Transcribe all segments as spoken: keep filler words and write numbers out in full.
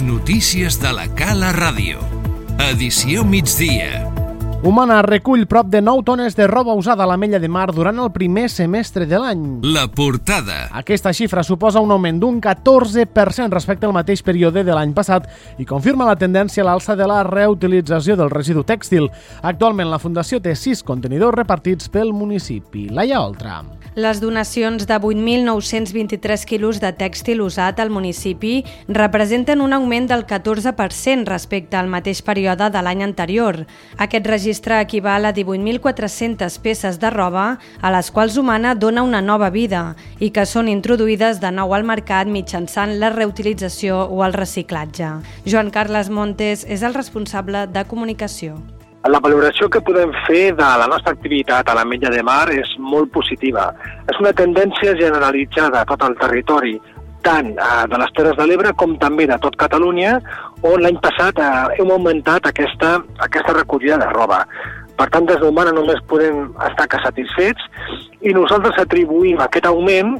Les notícies de la Cala Ràdio. Edició migdia. Humana recull prop de nou tones de roba usada a l'Ametlla de Mar durant el primer semestre de l'any. La portada. Aquesta xifra suposa un augment d'un catorze per cent respecte al mateix període de l'any passat i confirma la tendència a l'alça de la reutilització del residu tèxtil. Actualment la Fundació té sis contenidors repartits pel municipi. Laia Oltra. Les donacions de vuit mil nou-cents vint-i-tres quilos de tèxtil usat al municipi representen un augment del catorze per cent respecte al mateix període de l'any anterior. Aquest registre equival a divuit mil quatre-centes peces de roba a les quals Humana dona una nova vida i que són introduïdes de nou al mercat mitjançant la reutilització o el reciclatge. Joan Carles Montes és el responsable de comunicació. La valoració que podem fer de la nostra activitat a l'Ametlla de Mar és molt positiva. És una tendència generalitzada a tot el territori, tant de les Terres de l'Ebre com també de tot Catalunya, on l'any passat hem augmentat aquesta, aquesta recollida de roba. Per tant, des d'Humana només podem estar que satisfets i nosaltres atribuïm aquest augment,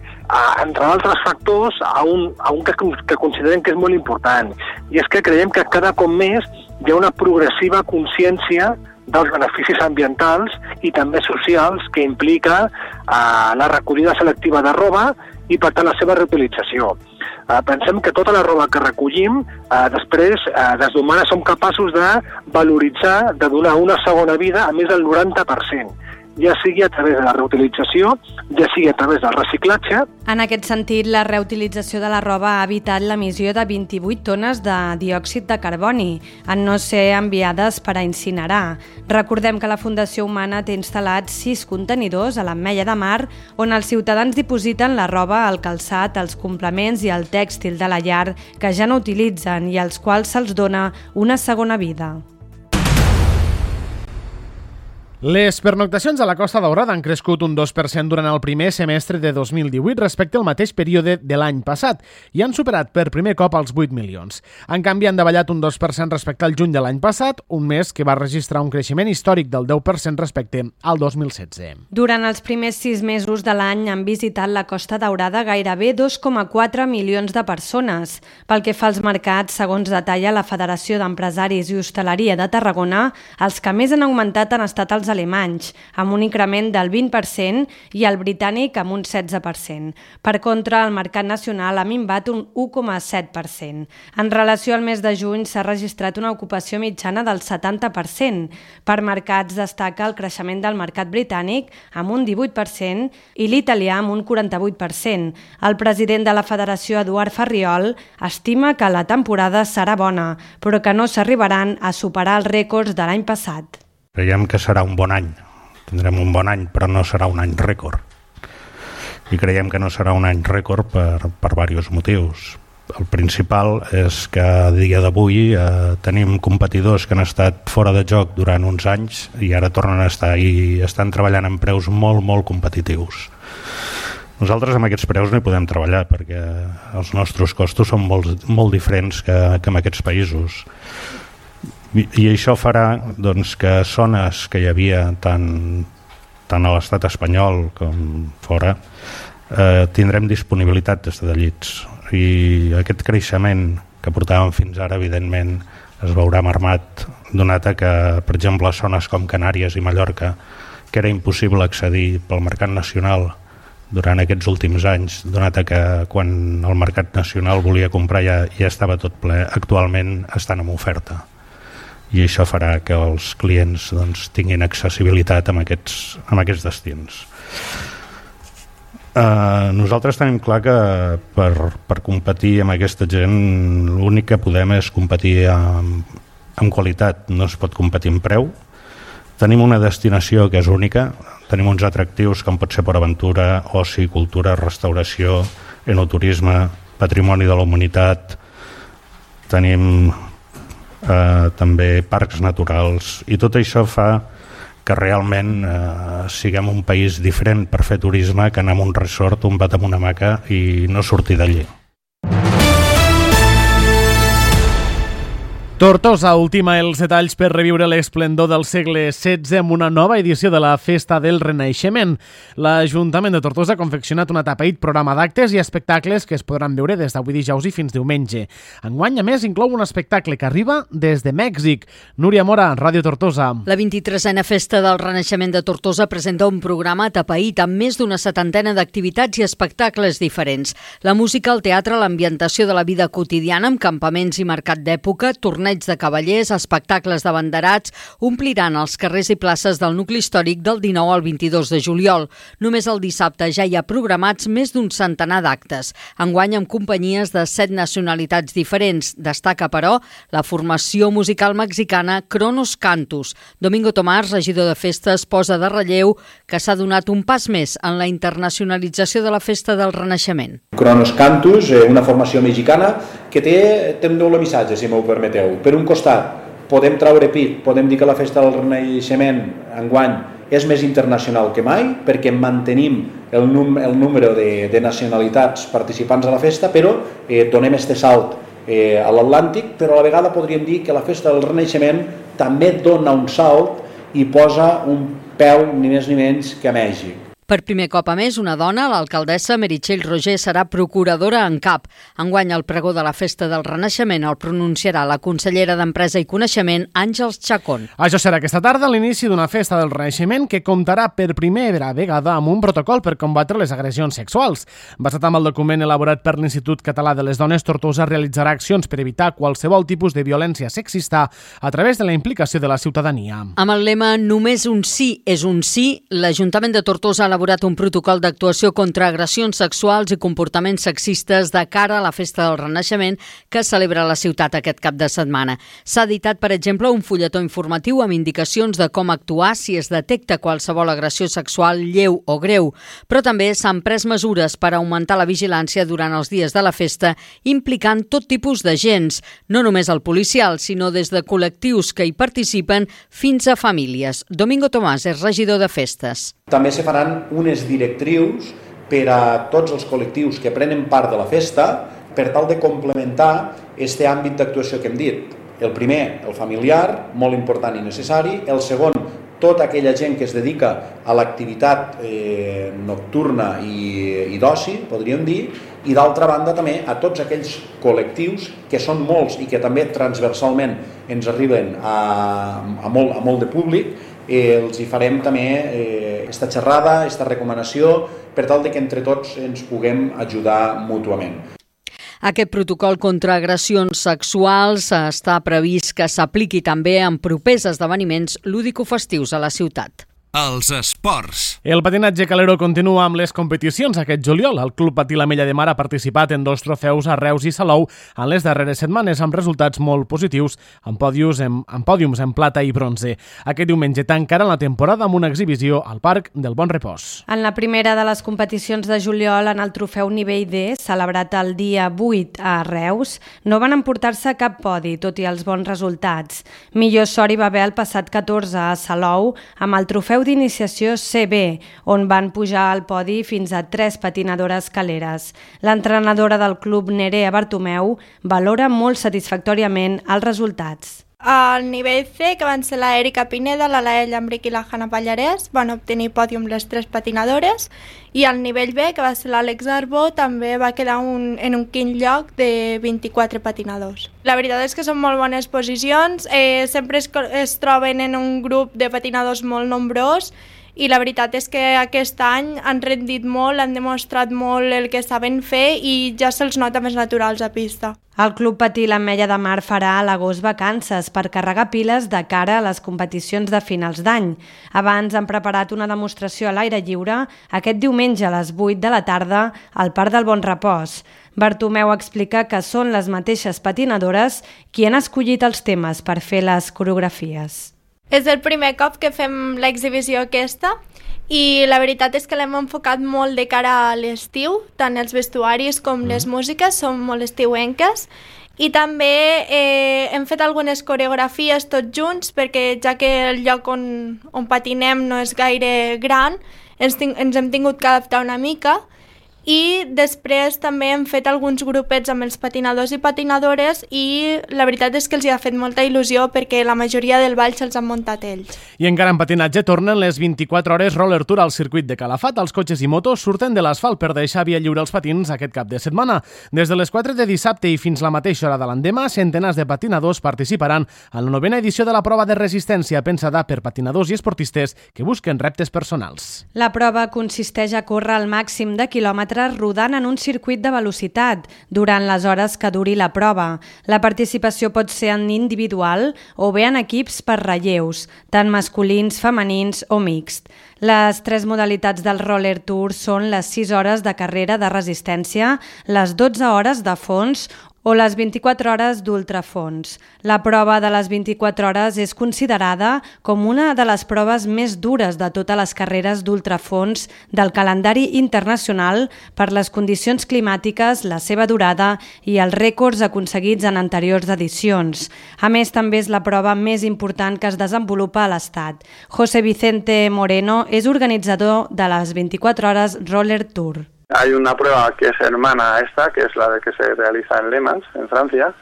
entre altres factors, a un, a un que, que considerem que és molt important. I és que creiem que cada cop més hi ha una progressiva consciència dels beneficis ambientals i també socials que implica eh, la recollida selectiva de roba i, per tant, la seva reutilització. Eh, pensem que tota la roba que recollim, eh, després, eh, des d'Humana som capaços de valoritzar, de donar una segona vida a més del noranta per cent. Ja sigui a través de la reutilització, ja sigui a través del reciclatge. En aquest sentit, la reutilització de la roba ha evitat l'emissió de vint-i-vuit tones de diòxid de carboni, en no ser enviades per a incinerar. Recordem que la Fundació Humana té instal·lats sis contenidors a l'Ametlla de Mar on els ciutadans dipositen la roba, el calçat, els complements i el tèxtil de la llar que ja no utilitzen i als quals se'ls dona una segona vida. Les pernoctacions a la Costa Daurada han crescut un dos per cent durant el primer semestre de dos mil divuit respecte al mateix període de l'any passat i han superat per primer cop els vuit milions. En canvi, han davallat un dos per cent respecte al juny de l'any passat, un mes que va registrar un creixement històric del deu per cent respecte al dos mil setze. Durant els primers sis mesos de l'any han visitat la Costa Daurada gairebé dos coma quatre milions de persones. Pel que fa als mercats, segons detalla la Federació d'Empresaris i Hostaleria de Tarragona, els que més han augmentat han estat els alemanys, amb un increment del vint per cent i el britànic amb un setze per cent. Per contra, el mercat nacional ha minvat un u coma set per cent. En relació al mes de juny s'ha registrat una ocupació mitjana del setanta per cent. Per mercats destaca el creixement del mercat britànic amb un divuit per cent i l'italià amb un quaranta-vuit per cent. El president de la Federació, Eduard Farriol, estima que la temporada serà bona, però que no s'arribaran a superar els rècords de l'any passat. Creiem que serà un bon any, tindrem un bon any, però no serà un any rècord. I creiem que no serà un any rècord per, per diversos motius. El principal és que a dia d'avui eh, tenim competidors que han estat fora de joc durant uns anys i ara tornen a estar i estan treballant amb preus molt, molt competitius. Nosaltres amb aquests preus no hi podem treballar perquè els nostres costos són molt, molt diferents que, que en aquests països. I, i això farà doncs, que zones que hi havia tant, tant a l'estat espanyol com fora eh, tindrem disponibilitat de llits i aquest creixement que portàvem fins ara evidentment es veurà mermat donat que, per exemple, a zones com Canàries i Mallorca, que era impossible accedir pel mercat nacional durant aquests últims anys, donat que quan el mercat nacional volia comprar ja, ja estava tot ple, actualment estan en oferta. I això farà que els clients doncs, tinguin accessibilitat a aquests, a aquests destins. Uh, nosaltres tenim clar que per, per competir amb aquesta gent l'únic que podem és competir amb, amb qualitat, no es pot competir amb preu. Tenim una destinació que és única, tenim uns atractius com pot ser Port Aventura, oci, cultura, restauració, enoturisme, patrimoni de la humanitat, tenim Eh, també parcs naturals i tot això fa que realment eh, siguem un país diferent per fer turisme que anar a un resort, un bat amb una hamaca i no sortir d'allí. Tortosa ultima els detalls per reviure l'esplendor del segle setze amb una nova edició de la Festa del Renaixement. L'Ajuntament de Tortosa ha confeccionat un atapeït programa d'actes i espectacles que es podran veure des d'avui dijous i fins diumenge. Enguany, a més, inclou un espectacle que arriba des de Mèxic. Núria Mora, Ràdio Tortosa. La vint-i-tresena Festa del Renaixement de Tortosa presenta un programa atapeït amb més d'una setantena d'activitats i espectacles diferents. La música, el teatre, l'ambientació de la vida quotidiana amb campaments i mercat d'època, torneig de cavallers, espectacles de banderats, ompliran els carrers i places del nucli històric del dinou al vint-i-dos de juliol. Només el dissabte ja hi ha programats més d'un centenar d'actes. Enguany amb companyies de set nacionalitats diferents. Destaca, però, la formació musical mexicana Cronos Cantus. Domingo Tomàs, regidor de festes, posa de relleu que s'ha donat un pas més en la internacionalització de la Festa del Renaixement. Cronos Cantus, una formació mexicana que té, té un doble missatge, si m'ho permeteu. Per un costat, podem traure pit, podem dir que la Festa del Renaixement enguany és més internacional que mai, perquè mantenim el, num el número de, de nacionalitats participants a la festa, però eh, donem este salt eh, a l'Atlàntic, però a la vegada podríem dir que la Festa del Renaixement també dona un salt i posa un peu ni més ni menys que a Mèxic. Per primer cop, a més, una dona, l'alcaldessa Meritxell Roger, serà procuradora en cap. Enguany, el pregó de la Festa del Renaixement el pronunciarà la consellera d'Empresa i Coneixement, Àngels Chacón. Això serà aquesta tarda l'inici d'una Festa del Renaixement que comptarà per primera vegada amb un protocol per combatre les agressions sexuals. Basat en el document elaborat per l'Institut Català de les Dones, Tortosa realitzarà accions per evitar qualsevol tipus de violència sexista a través de la implicació de la ciutadania. Amb el lema «Només un sí és un sí», l'Ajuntament de Tortosa ha elaborat un protocol d'actuació contra agressions sexuals i comportaments sexistes de cara a la Festa del Renaixement que celebra la ciutat aquest cap de setmana. S'ha editat, per exemple, un fulletó informatiu amb indicacions de com actuar si es detecta qualsevol agressió sexual lleu o greu, però també s'han pres mesures per augmentar la vigilància durant els dies de la festa, implicant tot tipus d'agents, no només el policial, sinó des de col·lectius que hi participen fins a famílies. Domingo Tomàs és regidor de festes. També se faran unes directrius per a tots els col·lectius que prenen part de la festa per tal de complementar aquest àmbit d'actuació que hem dit. El primer, el familiar, molt important i necessari. El segon, tota aquella gent que es dedica a l'activitat eh, nocturna i, i d'oci, podríem dir, i d'altra banda també a tots aquells col·lectius que són molts i que també transversalment ens arriben a, a, molt, a molt de públic. Eh, els hi farem també eh, aquesta xerrada, aquesta recomanació, per tal de que entre tots ens puguem ajudar mútuament. Aquest protocol contra agressions sexuals està previst que s'apliqui també en propers esdeveniments lúdico-festius a la ciutat. Els esports. El patinatge calero continua amb les competicions aquest juliol. El Club Patí l'Ametlla de Mar ha participat en dos trofeus a Reus i Salou en les darreres setmanes amb resultats molt positius, amb pòdiums en, amb pòdiums en plata i bronze. Aquest diumenge tancarà la temporada amb una exhibició al Parc del Bon Repòs. En la primera de les competicions de juliol, en el trofeu nivell D, celebrat el dia vuit a Reus, no van emportar-se cap podi, tot i els bons resultats. Millor sort hi va haver el passat catorze a Salou amb el trofeu d'iniciació C B, on van pujar al podi fins a tres patinadores caleres. L'entrenadora del club, Nerea Bartomeu, valora molt satisfactòriament els resultats. Al nivell C, que van ser la Erika Pineda, la Laia Llambric i la Hanna Pallarès, van obtenir pòdium les tres patinadores, i al nivell B, que va ser l'Àlex Arbó, també va quedar un, en un quint lloc de vint-i-quatre patinadors. La veritat és que són molt bones posicions, eh, sempre es, es troben en un grup de patinadors molt nombrós, i la veritat és que aquest any han rendit molt, han demostrat molt el que saben fer i ja se'ls nota més naturals a pista. El Club Patí l'Ametlla de Mar farà a l'agost vacances per carregar piles de cara a les competicions de finals d'any. Abans han preparat una demostració a l'aire lliure aquest diumenge a les vuit de la tarda al Parc del Bon Repòs. Bartomeu explica que són les mateixes patinadores qui han escollit els temes per fer les coreografies. És el primer cop que fem l'exhibició aquesta i la veritat és que l'hem enfocat molt de cara a l'estiu, tant els vestuaris com les músiques són molt estiuenques, i també eh, hem fet algunes coreografies tots junts perquè ja que el lloc on, on patinem no és gaire gran, ens, ting ens hem tingut que adaptar una mica I després també hem fet alguns grupets amb els patinadors i patinadores i la veritat és que els hi ha fet molta il·lusió perquè la majoria del ball se'ls han muntat ells. I encara en patinatge tornen les vint-i-quatre hores Roller Tour al circuit de Calafat. Els cotxes i motos surten de l'asfalt per deixar via lliure als patins aquest cap de setmana. Des de les quatre de dissabte i fins la mateixa hora de l'endemà, centenars de patinadors participaran en la novena edició de la prova de resistència pensada per patinadors i esportistes que busquen reptes personals. La prova consisteix a córrer al màxim de quilòmetres rodant en un circuit de velocitat durant les hores que duri la prova. La participació pot ser en individual o bé en equips per relleus, tant masculins, femenins o mixt. Les tres modalitats del Roller Tour són les sis hores de carrera de resistència, les dotze hores de fons o les vint-i-quatre hores d'ultrafons. La prova de les vint-i-quatre hores és considerada com una de les proves més dures de totes les carreres d'ultrafons del calendari internacional per les condicions climàtiques, la seva durada i els rècords aconseguits en anteriors edicions. A més, també és la prova més important que es desenvolupa a l'Estat. José Vicente Moreno és organitzador de les vint-i-quatre hores Roller Tour. Hay una prueba que es hermana a esta, que es la que se realiza en Le Mans, en Francia,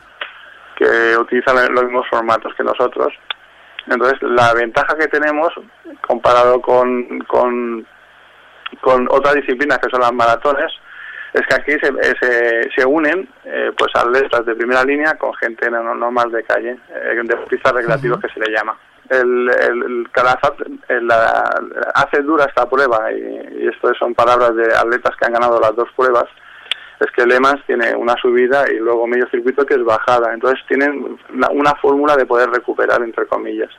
que utiliza los mismos formatos que nosotros. Entonces, la ventaja que tenemos, comparado con, con, con otras disciplinas que son las maratones, es que aquí se, se, se unen eh, pues atletas de primera línea con gente normal de calle, eh, deportistas recreativos que se le llama. El, el, el Calafat la, hace dura esta prueba y, y esto son palabras de atletas que han ganado las dos pruebas. Es que Le Mans tiene una subida y luego medio circuito que es bajada, entonces tienen una, una fórmula de poder recuperar, entre comillas.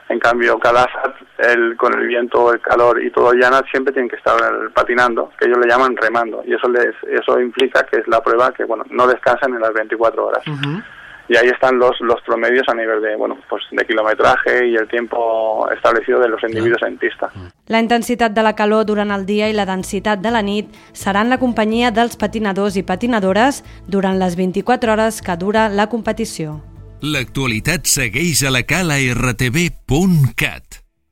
En cambio, Calafat, el, con el viento, el calor y todo llana, siempre tienen que estar patinando, que ellos le llaman remando, y eso les eso implica que es la prueba que bueno no descansan en las veinticuatro horas. Uh-huh. Y ahí están los, los promedios a nivel de, bueno, pues de kilometraje y el tiempo establecido de los individuos en pista. La intensitat de la calor durant el dia i la densitat de la nit seran la companyia dels patinadors i patinadores durant les vint-i-quatre hores que dura la competició. L'actualitat segueix a la cala r t v punt cat.